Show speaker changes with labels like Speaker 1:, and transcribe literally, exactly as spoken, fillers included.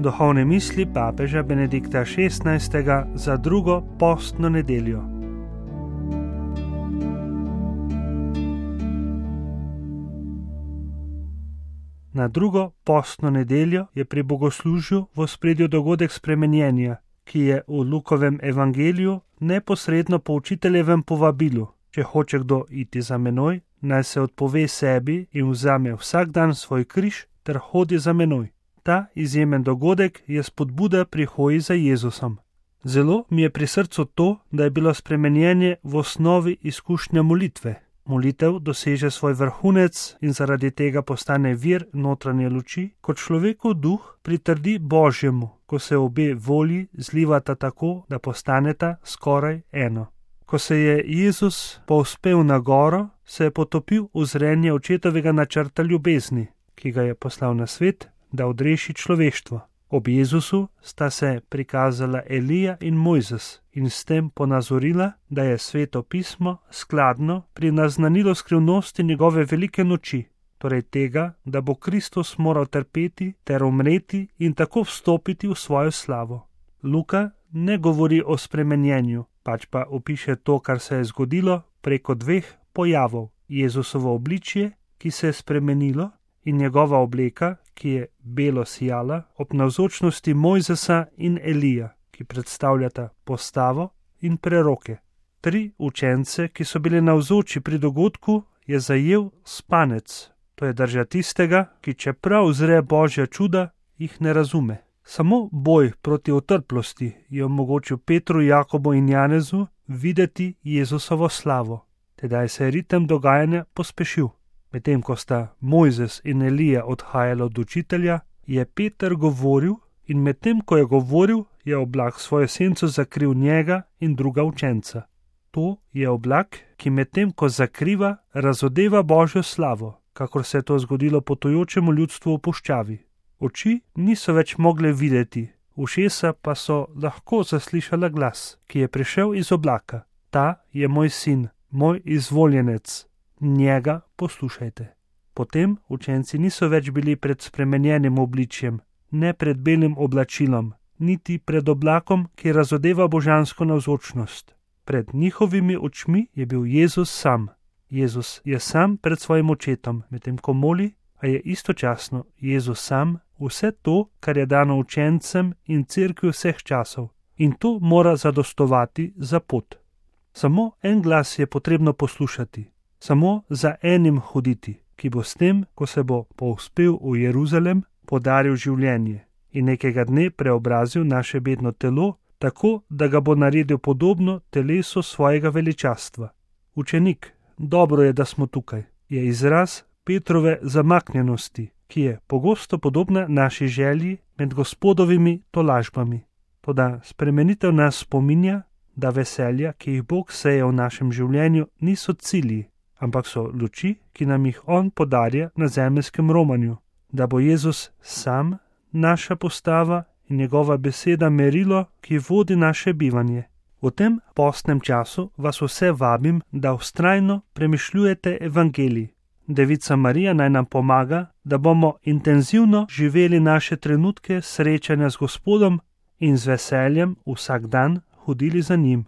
Speaker 1: Duhovne misli papeža Benedikta šestnajstega za drugo postno nedeljo. Na drugo postno nedeljo je pri bogoslužju v ospredju dogodek spremenjenja, ki je v Lukovem evangeliju neposredno po učiteljevem povabilu: če hoče kdo iti za menoj, naj se odpove sebi in vzame vsak dan svoj križ ter hodi za menoj. Ta izjemen dogodek je spodbuda pri hoji za Jezusom. Zelo mi je pri srcu to, da je bilo spremenjenje v osnovi izkušnja molitve. Molitev doseže svoj vrhunec in zaradi tega postane vir notranje luči, ko človekov duh pritrdi Božjemu, ko se obe volji zlivata tako, da postaneta skoraj eno. Ko se je Jezus povzpel na goro, se je potopil v zrenje očetovega načrta ljubezni, ki ga je poslal na svet, da odreši človeštvo. Ob Jezusu sta se prikazala Elija in Mojzes in s tem ponazorila, da je Sveto pismo skladno pri naznanilo skrivnosti njegove velike noči, torej tega, da bo Kristus moral trpeti ter umreti in tako vstopiti v svojo slavo. Luka ne govori o spremenjenju, pač pa opiše to, kar se je zgodilo preko dveh pojavov: Jezusovo obličje, ki se je spremenilo, in njegova obleka, ki je belo sijala, ob navzočnosti Mojzesa in Elija, ki predstavljata postavo in preroke. Tri učence, ki so bili navzoči pri dogodku, je zajel spanec. To je drža tistega, ki čeprav zre Božja čuda, jih ne razume. Samo boj proti otrplosti je omogočil Petru, Jakobu in Janezu videti Jezusovo slavo. Tedaj se je ritem dogajanja pospešil. Medtem ko sta Mojzes in Elija odhajala od učitelja, je Peter govoril, in medtem ko je govoril, je oblak svojo senco zakril njega in druga učenca. To je oblak, ki medtem ko zakriva, razodeva Božjo slavo, kakor se je to zgodilo potujočemu ljudstvu v puščavi. Oči niso več mogle videti, ušesa pa so lahko zaslišala glas, ki je prišel iz oblaka: ta je moj sin, moj izvoljenec. Njega poslušajte. Potem učenci niso več bili pred spremenjenim obličjem, ne pred belim oblačilom, niti pred oblakom, ki razodeva božansko navzočnost. Pred njihovimi očmi je bil Jezus sam. Jezus je sam pred svojim očetom, medtem ko moli, a je istočasno Jezus sam vse to, kar je dano učencem in cerkvi vseh časov. In to mora zadostovati za pot. Samo en glas je potrebno poslušati. Samo za enim hoditi, ki bo s tem, ko se bo povzpel v Jeruzalem, podaril življenje in nekega dne preobrazil naše bedno telo, tako da ga bo naredil podobno telesu svojega veličastva. Učenik, dobro je, da smo tukaj, je izraz Petrove zamaknjenosti, ki je pogosto podobna naši želji med Gospodovimi tolažbami. Toda spremenitev nas spominja, da veselja, ki jih Bog seje v našem življenju, niso cilji, ampak so luči, ki nam jih on podarja na zemeljskem romanju, da bo Jezus sam naša postava in njegova beseda merilo, ki vodi naše bivanje. V tem postnem času vas vse vabim, da vztrajno premišljujete evangelij. Devica Marija naj nam pomaga, da bomo intenzivno živeli naše trenutke srečanja z Gospodom in z veseljem vsak dan hodili za njim.